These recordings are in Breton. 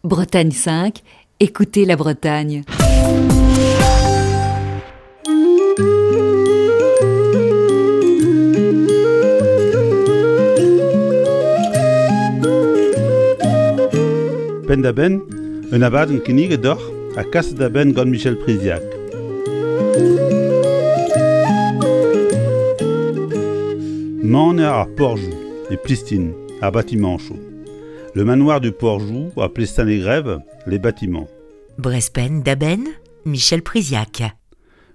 Bretagne 5, écoutez la Bretagne. Penn-da-benn, un abadenn kinniget deoc'h ha kaset da benn gant Michel Priziac. Maner ar Porjoù e Plistin, ar batimañchoù. Le manoir du Porjou à Plestin-les-Grèves, les bâtiments. Brespen da-benn, Michel Priziac.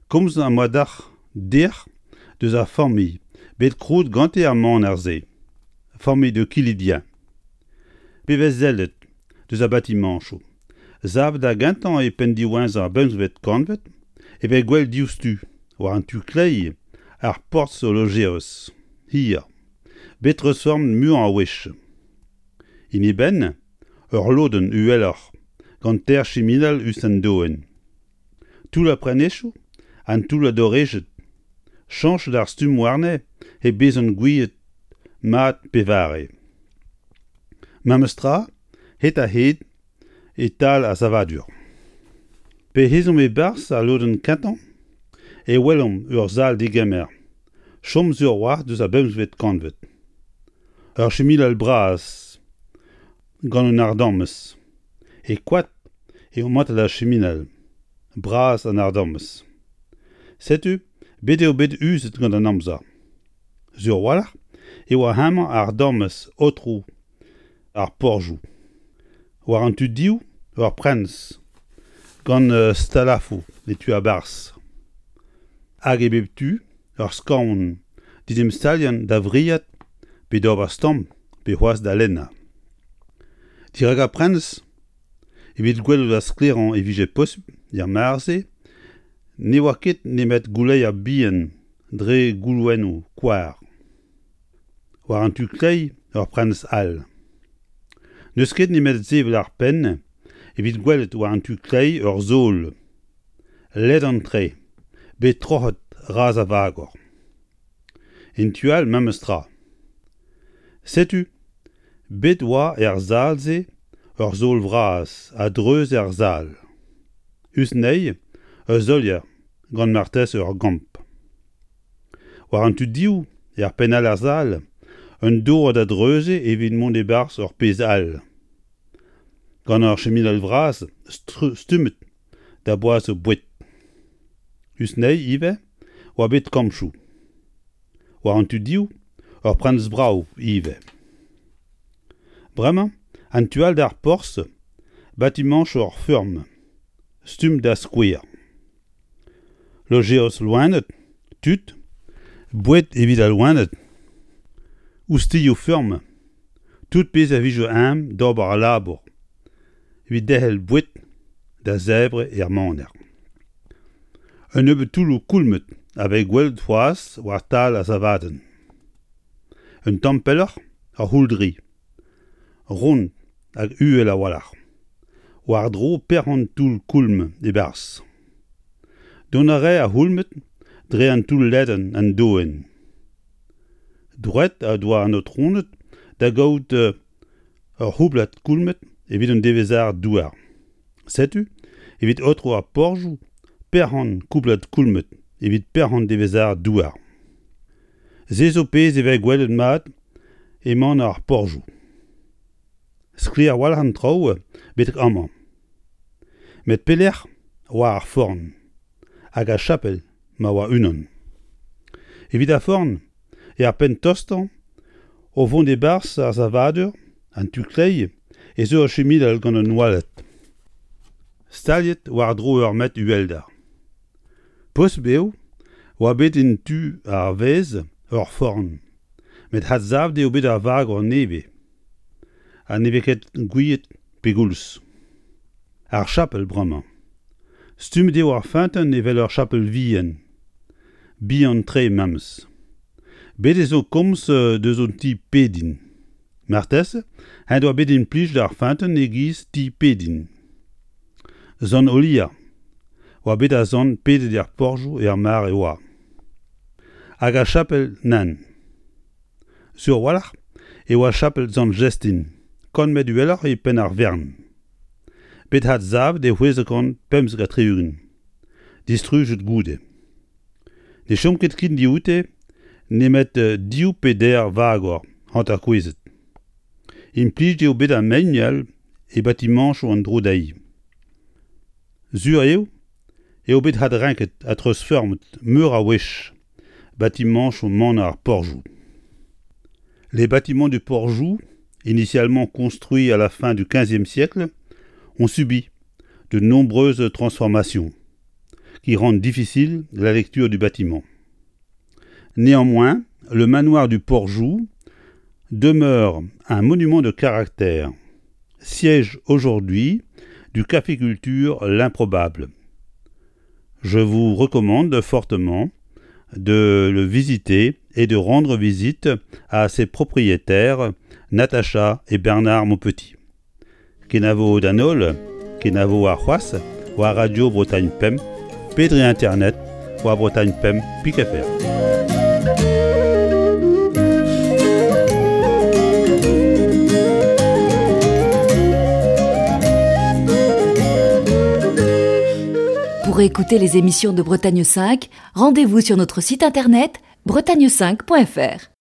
Komz am boa dac'h dec'h deus ar familh bet krouet gante ar maner-se, familh de Kilidien. Pe vez sellet deus ar batimañchoù, savet da gentañ e penn diwezhañ ar bemzvet kantved, e vez gwell diouzhtu, war an tu kleiz, ar porzh o lojeris, hir. Bet treuzfeurmet muiañ a wech. En e benn, ur lodenn uheloc'h gant teir chiminal us an doenn. Toull ar prenestroù, an toull a dorrejed, chañchet ar stumm warne hep bezañ gouiet mat pevare. Memes tra, hed-ha-hed e-tal ar savadur. P'ez ezomp e-barzh al lodenn kentañ e welomp ur sal-degemer chom sur a-walc'h deus ar bemzvet kantved. Ur chiminal bras gant un ardamez. E koad eo mantet ar chiminal, bras an ardamez. Setu bet eo bet uzet gant an amzer. Sur a-walc'h e oa hemañ ardamez aotrou ar porzhioù. War an tu div ur preñs gant stalafoù e tu a-barzh. Hag e bep tu ur skaon d'en em staliañ da wriat pe d'ober stamm pe c'hoazh da lennañ. Dirak ar preñs, evit gwelout ar sklaerañ e vije posupl er mare-se, ne oa ket nemet gouleier bihan dre goulouennoù koar. War an tu kleiz ur prenestr all. N'eus ket nemet sevel ar penn evit gwelet war an tu kleiz ur sol ledan-tre bet troc'het razh a vagor. En tu all memes tra. Setu bet oa er sal-se ur sol vras a-dreuz er sal. Us anezhi ur solier gant marteze ur gambr. War an tu div, er penn all ar sal, un dour da dreuziñ evit mont e-barzh ur pezh all. Gant ur chiminal vras stummet da boazhañ boued. Us anezhi ivez oa bet kambchoù. War an tu div, ur prenestr brav ivez. Bremañ, an tu all d'ar porzh, batimañchoù ur feurm, stumm da skouer. Lojeoz loened, tud, boued evit al loened, oustilhoù feurm, tout pezh a vije eñ d'ober al labour evit derc'hel boued da zebriñ er maner. Un nebeud toulloù koulmet a vez gwelet c'hoazh war tal ar savadenn. Un tamm pelloc'h, ur c'houldri. Ront hag uhel a-walc'h. War-dro perc'hent toull koulm e-barzh. Dont a rae ar c'houlmed dre an toull ledan an doenn. Droed a doa an aotroned da gaout ur c'houblad koulmed evit un devezh douar. Setu evit aotrou ar porzhioù perc'hent koublad koulmed evit perc'hent devezh douar. Se zo pezh e vez gwelet mat emañ ar porzhioù. Sklaer a-walc'h an traoù betek amañ. Met pelec'h oa ar forn hag ar chapel ma oa unan? Evit ar forn eo ar penn tostañ o vont e-barzh ar savadur, an tu kleiz, ez eo ur chiminal gant un oaled staliet war-dro ur metr uhelder. Posubl eo oa bet en tu ar vaez ur forn, met adsavet eo bet ar vagor nevez ha ne vez ket gouiet pegoulz. Ar chapel bremañ. Stummet eo ar feunteun evel ur chapel vihan, bihan-tre memes. Bet ez zo komz deus un ti-pediñ. Marteze en doa bet implijet ar feunteun e-giz ti-pediñ. Sant Olier oa bet ar sant pedet er porzhioù er mare oa. Hag ar chapel nann. Sur a-walc'h e oa chapel Sant Jestin, kant metr uheloc'h e penn ar wern. Bet adsavet e 675, distrujet goude. Ne chom ket ken dioute nemet div pe deir vagor hanterkouezhet. Implijet eo bet ar mein-all e batimañchoù an dro dezhi. Sur eo eo bet adrenket ha treuzfeurmet meur a wech batimañchoù maner ar Porjou. Les bâtiments du Porjou, initialement construits à la fin du XVe siècle, ont subi de nombreuses transformations qui rendent difficile la lecture du bâtiment. Néanmoins, le manoir du Porjou demeure un monument de caractère, siège aujourd'hui du Café Culture L'Improbable. Je vous recommande fortement de le visiter et de rendre visite à ses propriétaires Natacha et Bernard Maupetit. Kenavo d'an holl, kenavo arc'hoazh war Radio Bretagne Pemp pe dre internet war Bretagne Pemp pik FR. Pour écouter les émissions de Bretagne 5, rendez-vous sur notre site internet bretagne5.fr.